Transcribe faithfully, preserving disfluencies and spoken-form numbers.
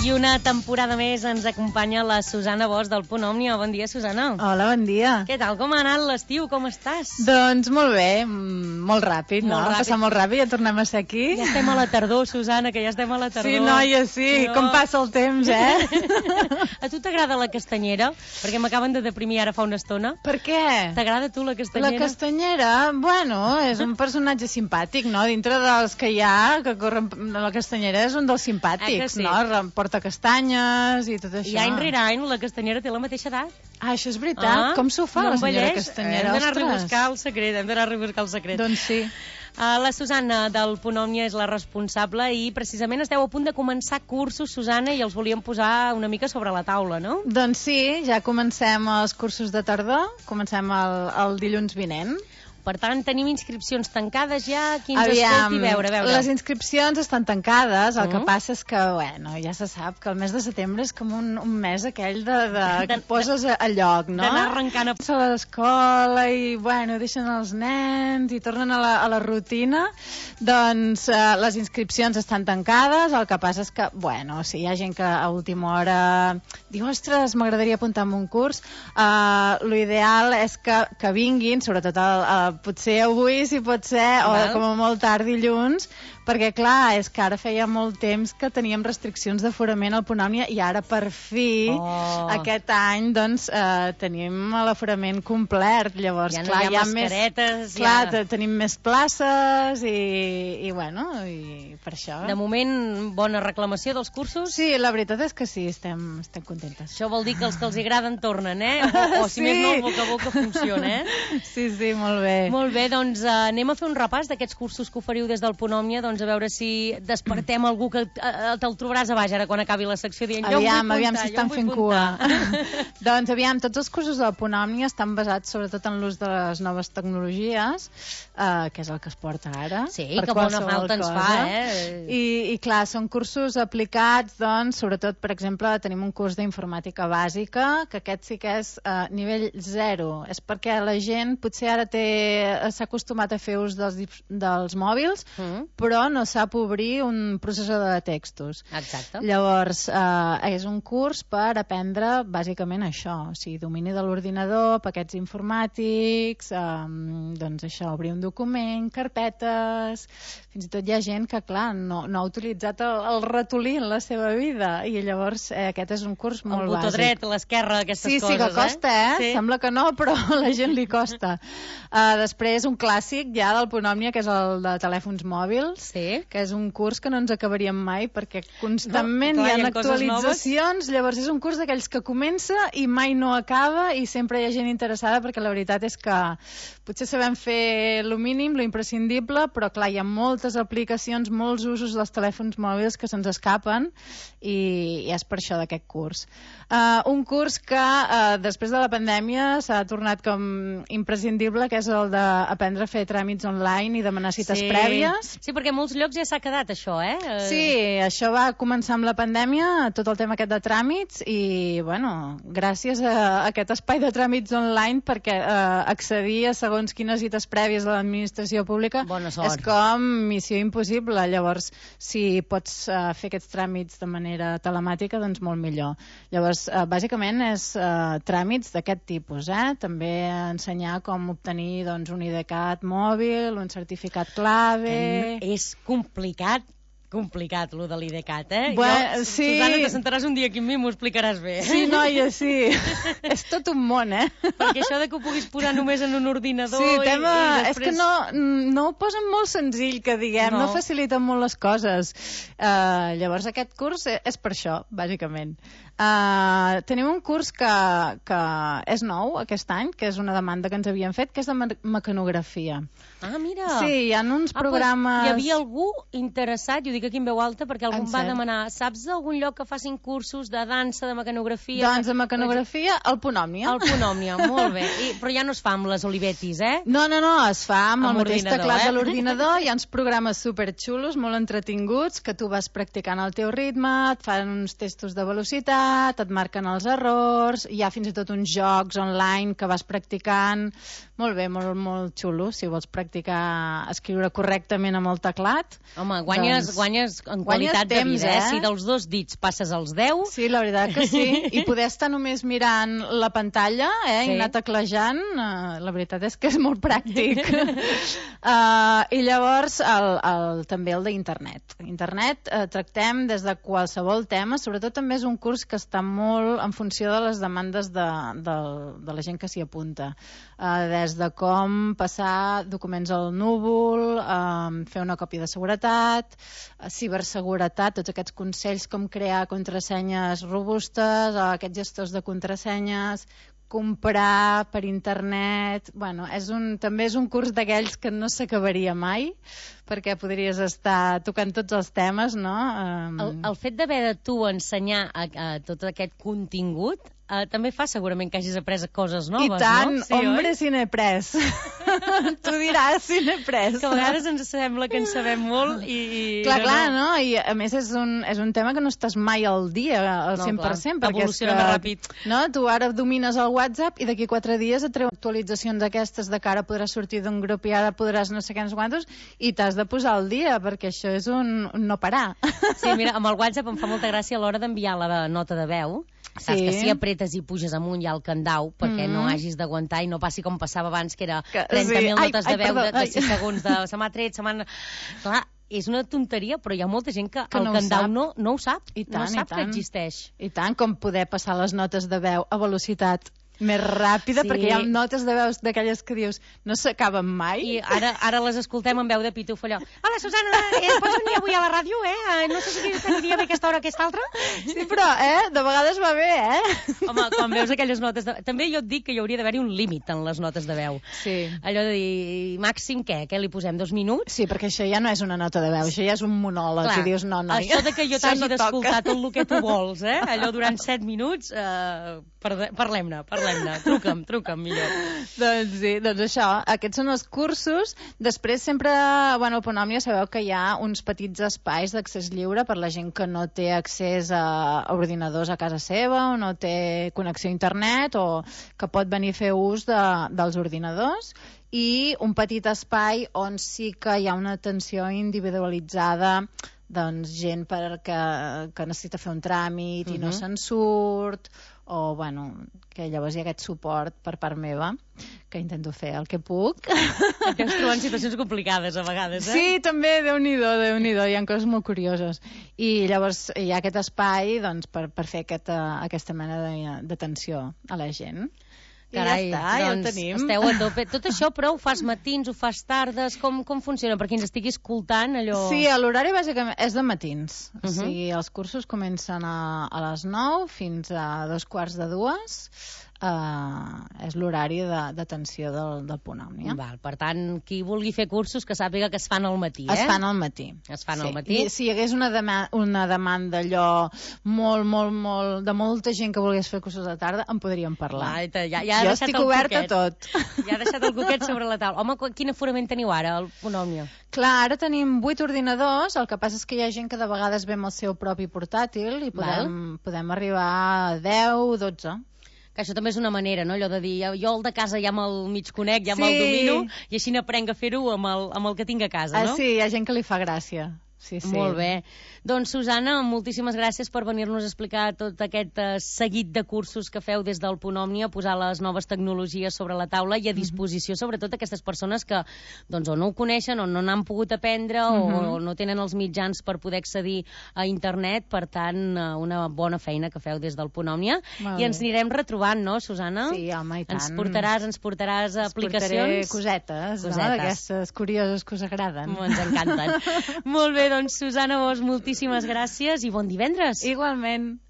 I una temporada més ens acompanya la Susana Bosch del Punt Òmnia. Bon dia, Susana. Hola, bon dia. Què tal? Com ha anat l'estiu? Com estàs? Doncs molt bé, molt ràpid, molt no? Ràpid. Passar molt ràpid, ja tornem a ser aquí. Ja estem a la tardor, Susana, que ja estem a la tardor. Sí, noia, sí, no. Com passa el temps, eh? A tu t'agrada la castanyera? Perquè m'acaben de deprimir ara fa una estona. Per què? T'agrada a tu la castanyera? La castanyera, bueno, és un personatge simpàtic, no? Dintre dels que hi ha, que corren... La castanyera és un dels simpàtics, sí? no? Porta castanyes i tot això. I any rere any la castanyera té la mateixa edat. Ah, això és veritat? Ah, com s'ho fa, no la senyora envelleix? Castanyera? Hem d'anar a rebuscar el secret, hem d'anar a rebuscar el secret. Doncs sí. Uh, la Susana del Punt Òmnia és la responsable i precisament esteu a punt de començar cursos, Susana, i els volíem posar una mica sobre la taula, no? Doncs sí, ja comencem els cursos de tardor, comencem el, el dilluns vinent. Per tant, tenim inscripcions tancades ja, qui ens Aviam, escolti, veure, veure. Les inscripcions estan tancades, el uh -huh. que passa és que, bueno, ja se sap que el mes de setembre és com un, un mes aquell de, de, que et poses a, a lloc, no? D'anar arrencant a... a l'escola i, bueno, deixen els nens i tornen a la, a la rutina. Doncs eh, les inscripcions estan tancades, el que passa és que, bueno, si hi ha gent que a última hora diu, ostres, m'agradaria apuntar en un curs, eh, l'ideal és que, que vinguin, sobretot el, el potser avui, si pot ser, Val. o com a molt tard dilluns, perquè, clar, és que ara feia molt temps que teníem restriccions d'aforament al Punt Òmnia i ara, per fi, oh. aquest any, doncs, eh, tenim l'aforament complet. Llavors, ja no clar, hi ha, hi ha mascaretes. Més, clar, ja... tenim més places i, i, bueno, i per això... De moment, bona reclamació dels cursos? Sí, la veritat és que sí, estem, estem contentes. Això vol dir que els que els agraden tornen, eh? O, o si sí. més no, el boca a boca funciona, eh? Sí, sí, molt bé. Molt bé, doncs uh, anem a fer un repàs d'aquests cursos que oferiu des del Punt Òmnia, doncs a veure si despertem algú que uh, te'l trobaràs a baix ara quan acabi la secció dient jo aviam, em vull aviam puntar, si estan fent cua. Doncs aviam, tots els cursos del Punt Òmnia estan basats sobretot en l'ús de les noves tecnologies, uh, que és el que es porta ara. Sí, que bona falta ens fa, eh? I, I clar, són cursos aplicats, doncs, sobretot, per exemple, tenim un curs d'informàtica bàsica, que aquest sí que és uh, nivell zero. És perquè la gent potser ara té s'ha acostumat a fer ús dels, dels mòbils, mm. però no sap obrir un processador de textos. Exacte. Llavors, eh, és un curs per aprendre bàsicament això, o sigui, domini de l'ordinador, paquets informàtics, eh, doncs això, obrir un document, carpetes... Fins i tot hi ha gent que, clar, no, no ha utilitzat el, el ratolí en la seva vida, i llavors eh, aquest és un curs molt bàsic. El botó dret, l'esquerra, aquestes sí, coses, sí, que costa, eh? eh? Sí. Sembla que no, però a la gent li costa. Uh, després, un clàssic ja del Punt Òmnia, que és el de telèfons mòbils, sí. que és un curs que no ens acabaríem mai, perquè constantment no, clar, hi ha, hi ha actualitzacions, llavors és un curs d'aquells que comença i mai no acaba, i sempre hi ha gent interessada, perquè la veritat és que potser sabem fer lo mínim, lo imprescindible, però clar, hi ha moltes aplicacions, molts usos dels telèfons mòbils que se'ns escapen, i, i és per això d'aquest curs. Uh, un curs que uh, després de la pandèmia s'ha tornat com imprescindible, que és el d'aprendre a fer tràmits online i demanar cites sí. prèvies. Sí, perquè a molts llocs ja s'ha quedat això, eh? Sí, això va començar amb la pandèmia, tot el tema aquest de tràmits, i, bueno, gràcies a aquest espai de tràmits online, perquè uh, accedir a segons quines cites prèvies de l'administració pública és com missió impossible. Llavors, si pots uh, fer aquests tràmits de manera telemàtica, doncs molt millor. Llavors, uh, bàsicament és uh, tràmits d'aquest tipus, eh? També ensenyar com obtenir doncs, un IDCAT mòbil, un certificat clave... Que és complicat, complicat, lo de l'IDCAT, eh? Bueno, jo, sí. Susana, te sentaràs un dia aquí amb mi i m'ho explicaràs bé. Sí, noia, sí. És tot un món, eh? Perquè això de que ho puguis posar només en un ordinador... Sí, tema... i, i després... És que no, no ho posen molt senzill, que diguem, no, no faciliten molt les coses. Uh, llavors, aquest curs és per això, bàsicament. Uh, tenim un curs que, que és nou aquest any, que és una demanda que ens havien fet, que és de mecanografia. Ah, mira! Sí, hi ha uns ah, programes... Pues hi havia algú interessat, jo dic aquí en veu alta, perquè algú en va cert? demanar, saps d'algun lloc que facin cursos de dansa, de mecanografia? Doncs de mecanografia, al Punt Òmnia. Al Punt Òmnia, molt bé. I, però ja no es fa amb les Olivetis, eh? No, no, no, es fa amb, amb el mateix teclat eh? de l'ordinador. Hi ha uns programes superxulos, molt entretinguts, que tu vas practicant al teu ritme, et fan uns testos de velocitat, et marquen els errors, hi ha fins i tot uns jocs online que vas practicant. Molt bé, molt, molt xulo, si vols practicar escriure correctament amb el teclat. Home, guanyes, doncs... guanyes en Guanyes qualitat temps, de vida, eh? eh? Si dels dos dits passes als deu... Sí, la veritat que sí. I poder estar només mirant la pantalla, eh, Sí. i anar teclejant, eh, la veritat és que és molt pràctic. uh, I llavors, el, el, també el d'internet. Internet eh, tractem des de qualsevol tema, sobretot també és un curs que està molt en funció de les demandes de, de, de la gent que s'hi apunta. Uh, des de com passar documents al núvol, uh, fer una còpia de seguretat, uh, ciberseguretat, tots aquests consells com crear contrasenyes robustes, uh, aquests gestors de contrasenyes, comprar per internet... Bueno, és un, també és un curs d'aquells que no s'acabaria mai, perquè podries estar tocant tots els temes, no? Um... El, el fet d'haver de tu ensenyar a, a tot aquest contingut Uh, també fa segurament que hagis après coses noves, no? I tant, no? Sí, hombre, oi? si n'he pres. Tu diràs si n'he pres. Que a vegades ens sembla que en sabem molt i... i clar, no, clar, no. no? I a més és un, és un tema que no estàs mai al dia, al No, cent per cent. clar, perquè evoluciona és que, més ràpid. No? Tu ara domines el WhatsApp i d'aquí quatre dies et treu actualitzacions d'aquestes de que ara podràs sortir d'un grup i ara podràs no sé què, no sé quantos, i t'has de posar al dia, perquè això és un, un no parar. Sí, mira, amb el WhatsApp em fa molta gràcia a l'hora d'enviar la nota de veu. Saps Sí. que si apretes i puges amunt ja el candau perquè Mm. no hagis d'aguantar i no passi com passava abans, que era Que- trenta mil sí. notes Ai, de veu ai, de, perdó, de ai. sis segons, de se m'ha tret, se m'ha... Clar, és una tonteria, però hi ha molta gent que, Que el no ho candau sap. no, no ho sap, I tant, no sap i que tant. existeix. I tant, com poder passar les notes de veu a velocitat més ràpida, Sí. perquè hi ha notes de veus d'aquelles que dius no s'acaben mai. I ara, ara les escoltem amb veu de pituf allò. Hola, Susana, eh, pots venir avui a la ràdio, eh? Eh, No sé si t'aniria bé aquesta hora o aquesta altra. Sí, però, eh, de vegades va bé, eh? Home, quan veus aquelles notes de... També jo et dic que hi hauria d'haver-hi un límit en les notes de veu. Sí. Allò de dir, màxim què? Què li posem? Dos minuts? Sí, perquè això ja no és una nota de veu, això ja és un monòleg, Clar, i dius, no, noi, això de que jo això t'hagi no d'escoltar toca. tot el que tu vols, eh? Allò durant set minuts, eh, parle- parlem-ne, parlem-ne. Truca'm, truca'm, millor. Doncs sí, doncs això, aquests són els cursos. Després sempre, bueno, a Ponòmia sabeu que hi ha uns petits espais d'accés lliure per la gent que no té accés a, a ordinadors a casa seva o no té connexió a internet o que pot venir a fer ús de, dels ordinadors, i un petit espai on sí que hi ha una atenció individualitzada, doncs gent per que, que necessita fer un tràmit i no Mhm. se'n surt, o bueno, que llavors hi ha aquest suport per part meva, que intento fer el que puc. Et deus trobar en situacions complicades, a vegades, eh? Sí, també, Déu-n'hi-do, Déu-n'hi-do, hi ha coses molt curioses. I llavors hi ha aquest espai, doncs, per, per fer aquesta, aquesta mena de- d'atenció a la gent. Carai, I ja està, ja doncs ho tenim. esteu a tope. Tot això, però, ho fas matins, ho fas tardes, com, com funciona? Per qui ens estigui escoltant, allò... Sí, l'horari bàsicament és de matins. Uh Mhm. -huh. O sigui, els cursos comencen a, a les nou fins a dos quarts de dues. Uh, és l'horari de- d'atenció del, del Ponòmnia. Val, per tant, qui vulgui fer cursos que sàpiga que es fan al matí, eh? Es fan al matí. Es fan sí. al matí. I si hi hagués una, dema una demanda allò molt, molt, molt, de molta gent que volgués fer cursos de tarda, en podríem parlar. Vai, te- ja, ja ha jo deixat estic el oberta a coquet. tot. Ja ha deixat el coquet sobre la taula. Home, qu- quin aforament teniu ara, al Ponòmnia? Clar, ara tenim vuit ordinadors, el que passa és que hi ha gent que de vegades ve amb el seu propi portàtil i podem, podem arribar a deu, dotze. Que això també és una manera, no? Allò de dir, jo el de casa ja me'l mig conec, ja Sí. me'l domino, i així n'aprenc a fer-ho amb, el, amb el que tinc a casa, no? Ah, sí, hi ha gent que li fa gràcia. Sí, sí. Molt bé. Doncs, Susana, moltíssimes gràcies per venir-nos a explicar tot aquest uh, seguit de cursos que feu des del Ponòmnia, posar les noves tecnologies sobre la taula i a disposició, mm -hmm. sobretot, aquestes persones que doncs, o no ho coneixen, o no n'han pogut aprendre, mm -hmm. o no tenen els mitjans per poder accedir a internet. Per tant, uh, una bona feina que feu des del Ponòmnia. Molt I ens bé. anirem retrobant, no, Susana? Sí, home, i tant. Ens portaràs, ens portaràs aplicacions. Ens portaré cosetes, Cosetes. no? D'aquestes curioses que us agraden. Ens encanten. Molt bé, doncs, Susana Bosch, moltíssimes gràcies i bon divendres. Igualment.